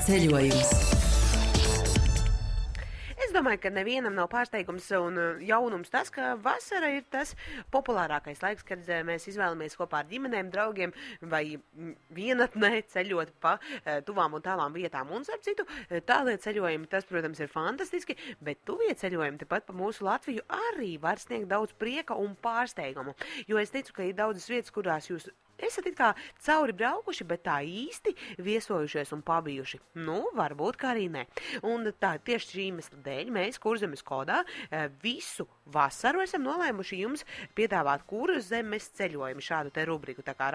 Ceļojums. Es domāju, ka nevienam nav pārsteigums un jaunums tas, ka vasara ir tas populārākais laiks, kad mēs izvēlamies kopā ar ģimenēm, draugiem vai vienatnē ceļot pa tuvām un tālām vietām. Un, starp citu, tālie ceļojumi, tas, protams, ir fantastiski, bet tuvie ceļojumi tepat pa mūsu Latviju arī var sniegt daudz prieka un pārsteigumu. Jo es ticu, ka ir daudzas vietas, kurās jūs esat it kā cauri braukuši, bet tā īsti viesojušies un pabijuši. Nu, varbūt kā arī ne. Un tā tieši šī iemesla dēļ mēs Kurzemes kodā visu vasaru esam nolēmuši jums piedāvāt Kurzemes ceļojumu, šādu te rubriku, tā kā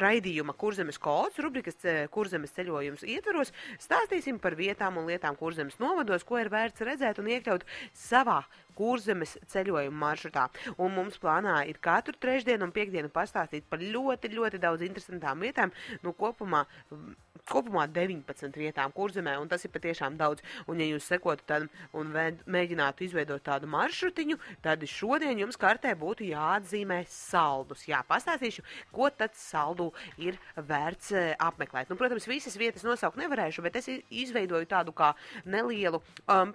raidījuma Kurzemes kods, rubrikas Kurzemes ceļojums ietvaros, stāstīsim par vietām un lietām Kurzemes novados, ko ir vērts redzēt un iekļaut savā Kurzemes ceļojuma maršrutā. Un mums plānā ir katru trešdienu un piekdienu pastāstīt par ļoti, ļoti daudz interesantām vietām, nu kopumā 19 vietām Kurzemē, un tas ir patiešām daudz. Un ja jūs sekotu tad un mēģinātu izveidot tādu maršrutiņu, tad šodien jums kartē būtu jāatzīmē saldus. Jā, pastāstīšu, ko tad saldu ir vērts apmeklēt. Nu, protams, visas vietas nosaukt nevarēšu, bet es izveidoju tādu kā nelielu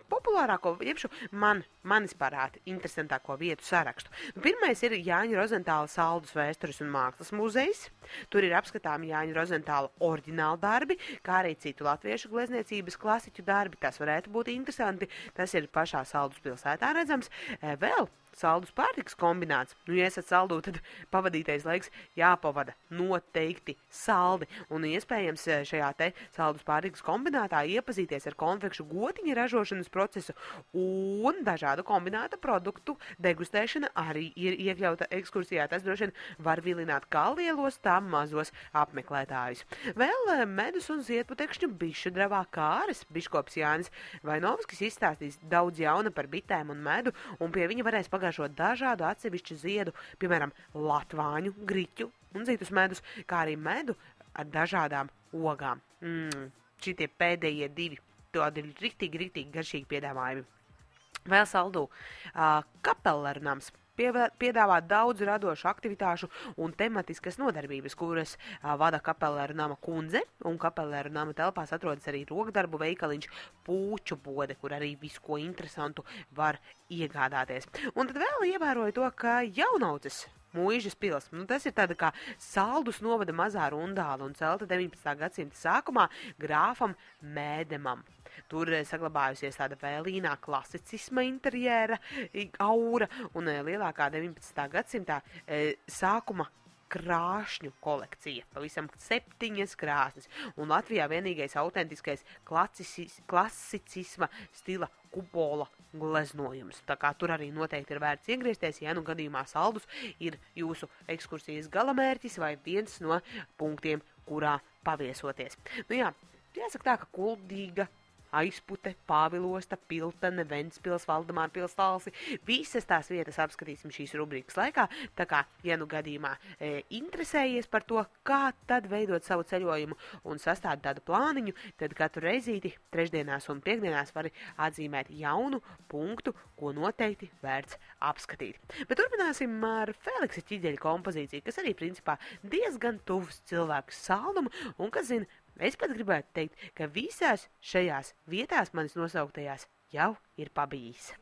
populārāko, jebšu manis parāti interesantāko vietu sarakstu. Nu, pirmais ir Jāņa Rozentāla saldus vēstures un mākslas muzejs. Tur ir apskatāmi Jāņa Rozentāla oriģināli darbi, kā arī citu latviešu glezniecības klasiķu darbi. Tas varētu būt interesanti. Tas ir pašā Saldus pilsētā redzams. Vēl saldus pārtikas kombināts. Nu, ja esat saldū, tad pavadītais laiks jāpavada noteikti saldi. Un iespējams šajā te saldus pārtikas kombinātā iepazīties ar konfekšu gotiņa ražošanas procesu un dažādu kombināta produktu degustēšana arī ir iekļauta ekskursijā. Tas droši vien var vilināt kā lielos, tā mazos apmeklētājus. Vēl medus un ziedputekšņu bišu dravā kāres biškops Jānis Vainovskis izstāstīs daudz jauna par bitēm un medu, un pie viņa varēs pagāžot dažādu atsevišķu ziedu, piemēram, latvāņu, griķu un citus medus, kā arī medu ar dažādām ogām. Šitie pēdējie divi, tādi ir riktīgi garšīgi piedāvājumi. Vēl saldū Kapelernams piedāvā daudz radošu aktivitāšu un tematiskas nodarbības, kuras vada Kapelernama kundze, un Kapelernama telpās atrodas arī rokdarbu veikaliņš Pūču bode, kur arī visu ko interesantu var iegādāties. Un tad vēl ievēroju to, ka Jaunauces Mūižas pils, nu tas ir tāda kā Saldus novada mazā rundāla un celta 19. gadsimta sākumā grāfam Mēdemam. Tur saglabājusies tāda vēlīnā klasicisma interjera aura un lielākā 19. gadsimtā sākuma krāšņu kolekcija. Pavisam 7 krāsnes. Un Latvijā vienīgais autentiskais klasicisma stila kupola gleznojums. Tā kā tur arī noteikti ir vērts iegriezties, ja nu gadījumā Saldus ir jūsu ekskursijas galamērķis vai viens no punktiem, kurā paviesoties. Nu jā, jāsaka tā, ka Kuldīga, Aizpute, Pāvilosta, Piltene, Ventspils, Valdemāra pils Talsi. Visas tās vietas apskatīsim šīs rubrikas laikā. Tā kā, ja nu gadījumā interesējies par to, kā tad veidot savu ceļojumu un sastādi tādu plāniņu, tad katru reizīti trešdienās un piekdienās vari atzīmēt jaunu punktu, ko noteikti vērts apskatīt. Bet turpināsim ar Feliksa Ķiģeļa kompozīciju, kas arī principā diezgan tuvs cilvēku saldumu un, kas zina, es pat gribētu teikt, ka visās šajās vietās manis nosauktajās jau ir pabijis.